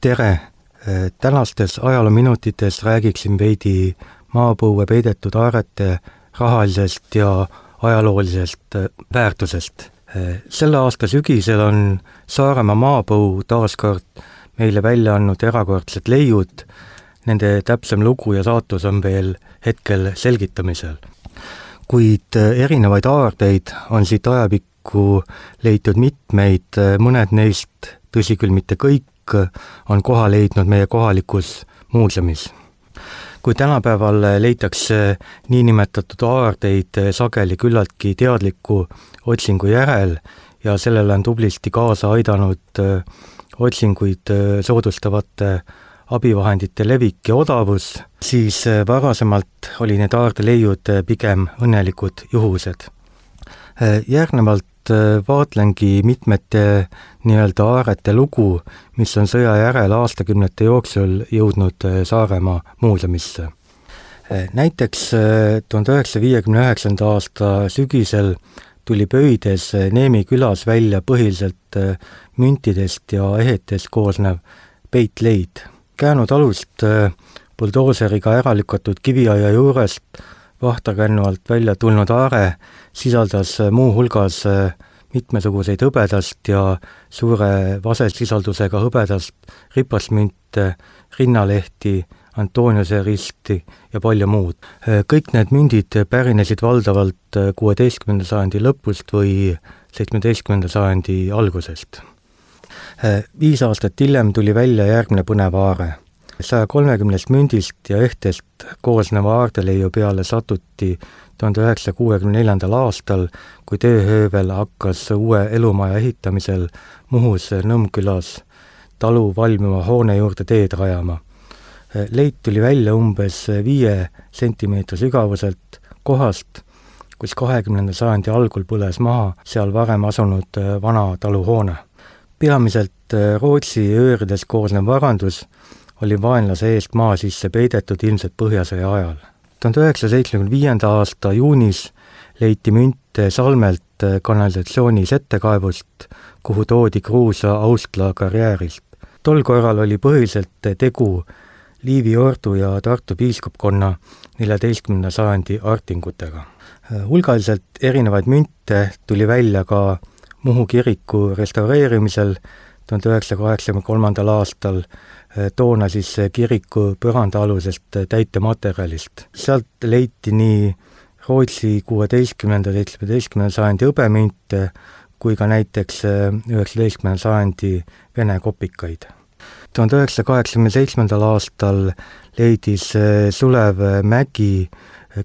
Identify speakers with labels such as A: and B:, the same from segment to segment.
A: Tere! Tänastes ajaloominutites räägiksin veidi maapõue peidetud aarete rahalisest ja ajaloolisest väärtusest. Selle aasta sügisel on Saaremaa maapõu taaskord meile välja andnud erakordsed leiud. Nende täpsem lugu ja saatus on veel hetkel selgitamisel. Kuid erinevaid aardeid on siit ajapikku leitud mitmeid, mõned neist, tõsi küll mitte kõik, on koha leidnud meie kohalikus muuseumis. Kui tänapäeval leitakse niinimetatud aardeid sageli küllaltki teadliku otsingu järel ja sellele on tublisti kaasa aidanud otsinguid soodustavate abivahendite levik ja odavus, siis varasemalt oli need aardeleiud pigem õnnelikud juhused. Järgnevalt vaatlengi mitmete nii-öelda aarete lugu, mis on sõja järel aastakümnete jooksul jõudnud Saaremaa muuseumisse. Näiteks 1959. aasta sügisel tuli Pöides Neemi külas välja põhiliselt müntidest ja ehetest koosnev peitleid. Käänud alust buldooseriga ära lükatud kiviaia juurest vahtarkännuvalt välja tulnud aare sisaldas muu hulgas mitmesuguseid hõbedast ja suure vasesisaldusega hõbedast ripasmünte, rinnalehti, Antoniuse risti ja palju muud. Kõik need mündid pärinesid valdavalt 16. sajandi lõpust või 17. sajandi algusest. 5 aastat hiljem tuli välja järgmine põnev aare. 130 mündist ja ehtest koosneva aardeleiu peale satuti 1964. aastal, kui tööhöövel hakkas uue elumaja ehitamisel Muhus Nõmmkülas talu valmiva hoone juurde teed rajama. Leid tuli välja umbes 5 sentimeetri sügavuselt kohast, kus 20. sajandi algul põles maha seal varem asunud vana taluhoone. Peamiselt Rootsi öörides koosnev varandus oli vaenlase eest maa sisse peidetud ilmselt Põhjasõja ajal. 1975. aasta juunis leiti münte Salmelt kanalisatsiooni settekaevust, kuhu toodi Kruusa Austla karjäärist. Tol korral oli põhiliselt tegu Liivi ordu ja Tartu piiskopkonna 14. sajandi artingutega. Hulgaliselt erinevaid münte tuli välja ka Muhu kiriku restaureerimisel 1983. aastal, toona siis kiriku põrandaalusest täitematerjalist. Sealt leiti nii Rootsi 16. ja 17. sajandi hõbemünte kui ka näiteks 19. sajandi Vene kopikaid. 1987. aastal leidis Sulev Mägi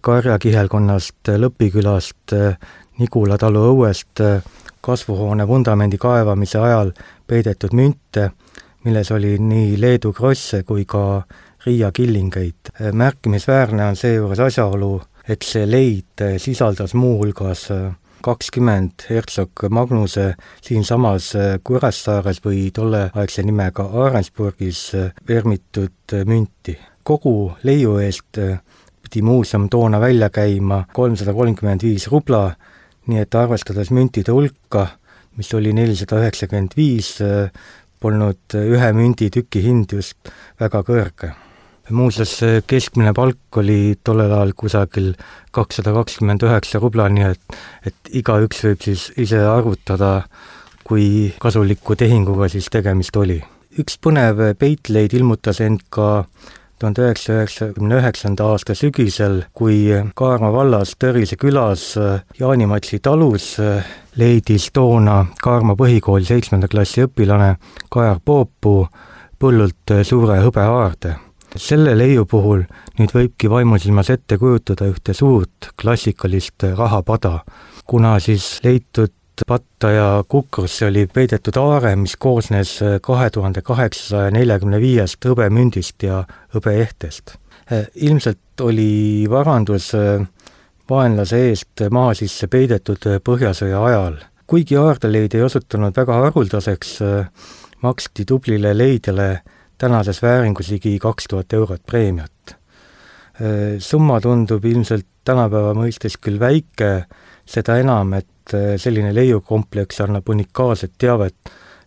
A: Karjakihelkonnast Lõpikülast Nigula talu õuest kasvuhoone vundamendi kaevamise ajal peidetud münte, milles oli nii Leedu krosse kui ka Riia killingeid. Märkimisväärne on seejuures asjaolu, et see leid sisaldas muu hulgas 20 Herzog Magnuse siinsamas Kuressaares või tolleaegse nimega Aarensburgis vermitud münti. Kogu leiu eest pidi muuseum toona välja käima 335 rubla, nii et arvestades müntide hulka, mis oli 495, polnud ühe mündi tüki hind just väga kõrge. Muuseas, keskmine palk oli tollel ajal kusagil 229 rubla, nii et igaüks võib siis ise arvutada, kui kasuliku tehinguga siis tegemist oli. Üks põnev peitleid ilmutas end ka 1999. aasta sügisel, kui Kaarma vallas Tõrise külas Jaanimatsi talus leidis toona Kaarma põhikooli 7. klassi õpilane Kajar Poopuu põllult suure hõbeaarde. Selle leiu puhul nüüd võibki vaimusilmas ette kujutada ühte suurt klassikalist rahapada, kuna siis leitud patta ja kukrusse oli peidetud aare, mis koosnes 2845 hõbemündist ja hõbeehtest. Ilmselt oli varandus vaenlase eest maa sisse peidetud Põhjasõja ajal. Kuigi aardeleid ei osutunud väga haruldaseks, maksti tublile leidjale tänases vääringus ligi 2000 eurot preemiat. Summa tundub ilmselt tänapäeva mõistes küll väike, seda enam, et selline leiukompleks annab unikaalset teavet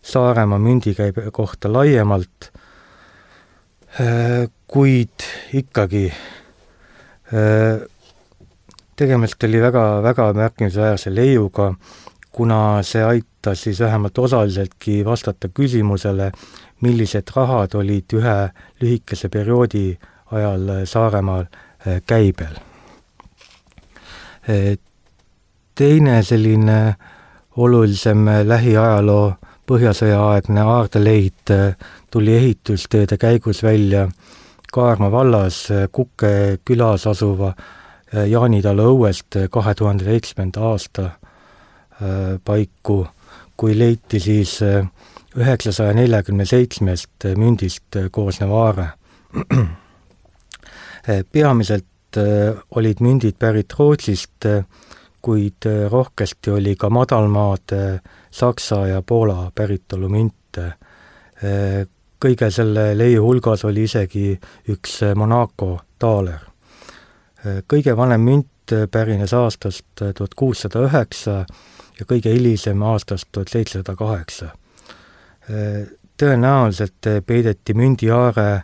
A: Saaremaa mündikäibe kohta laiemalt, kuid ikkagi tegemist oli väga märkimisväärse leiuga, kuna see aitas siis vähemalt osaliseltki vastata küsimusele, millised rahad olid ühe lühikese perioodi ajal Saaremaal käibel. Teine selline olulisem lähiajaloo põhjasõjaaegne aardeleid tuli ehitustööde käigus välja Kaarma vallas Kukke külas asuva Jaanitalu õuest 2007. aasta paiku, kui leiti siis 947 mündist koosnev aare. Peamiselt olid mündid pärit Rootsist, kuid rohkesti oli ka madalmaade Saksa ja Poola päritolu münte. Kõige selle leiu hulgas oli isegi üks Monaco taaler. Kõige vanem münt pärines aastast 1609 ja kõige hilisem aastast 1708. Tõenäoliselt peideti mündiaare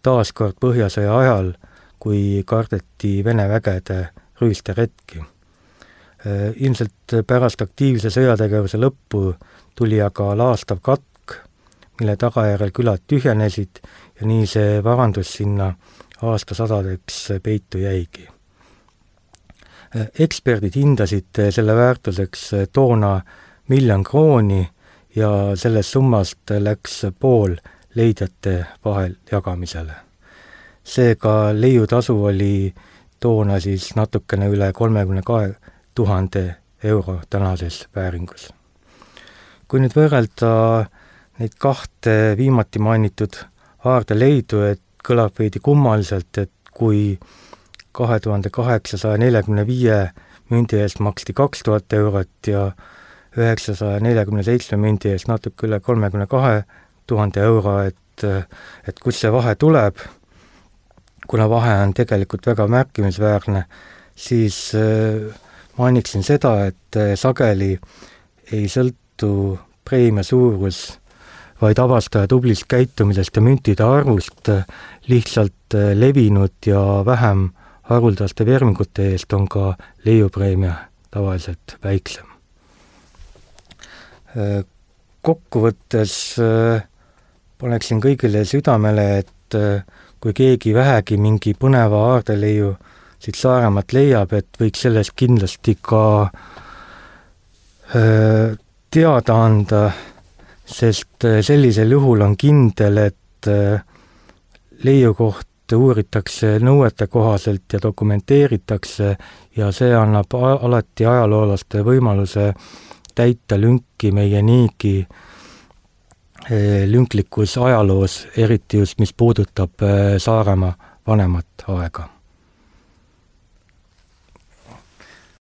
A: taaskord põhjasõja ajal, kui kardeti Vene vägede rüüsteretki. Ilmselt pärast aktiivse sõjategevuse lõppu tuli aga laastav katk, mille tagajärjel külad tühjenesid ja nii see varandus sinna aastasadadeks peitu jäigi. Eksperdid hindasid selle väärtuseks toona 1 000 000 krooni ja sellest summast läks pool leidjate vahel jagamisele. Seega leiutasu oli toona siis natukene üle 32 000 euro tänases vääringus. Kui nüüd võrrelda neid kahte viimati mainitud aardeleidu, et kõlab veidi kummaliselt, et kui 2845 mündi eest maksti 2000 eurot ja 947 mündi eest natuke üle 32 000 euro, et kus see vahe tuleb, kuna vahe on tegelikult väga märkimisväärne, siis mainiksin seda, et sageli ei sõltu preemia suurus, vaid avastaja tublist käitumisest ja müntide arvust, lihtsalt levinud ja vähem haruldaste vermingute eest on ka leiupreemia tavaliselt väiksem. Kokkuvõttes paneksin kõigile südamele, et kui keegi vähegi mingi põneva aardeleiu siit Saaremaalt leiab, et võiks sellest kindlasti ka teada anda, sest sellisel juhul on kindel, et leiu kohta uuritakse nõuete kohaselt ja dokumenteeritakse ja see annab alati ajaloolaste võimaluse täita lünki meie niigi lünklikus ajaloos, eriti just mis puudutab Saaremaa vanemat aega.